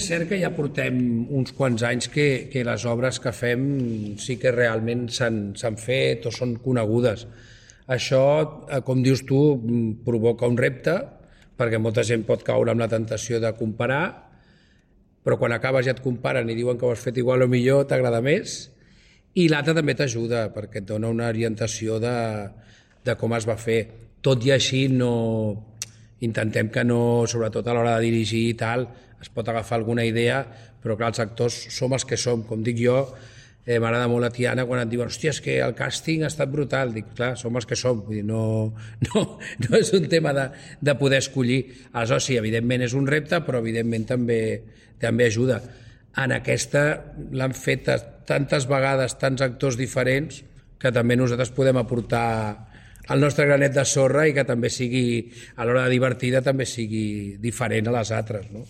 cert que ja portem uns quants anys que les obres que fem sí que realment s'han fet o són conegudes. Això, com dius tu, provoca un repte, perquè molta gent pot caure amb la tentació de comparar, però quan acabes ja et comparen i diuen que ho has fet igual o millor, t'agrada més, i l'altre també t'ajuda, perquè et dona una orientació de com es va fer. Tot i així, intentem que no, sobretot a l'hora de dirigir i tal, es pot agafar alguna idea, però clar, els actors som els que som. Com dic jo, m'agrada molt la Tiana quan et diuen hòstia, és que el càsting ha estat brutal. Dic, clar, som els que som, vull dir, no és un tema de poder escollir. Aleshores, sí, evidentment és un repte, però evidentment també ajuda. En aquesta l'han fet tantes vegades, tants actors diferents, que també nosaltres podem aportar el nostre granet de sorra i que també sigui, a l'hora de divertida, també sigui diferent a les altres, no?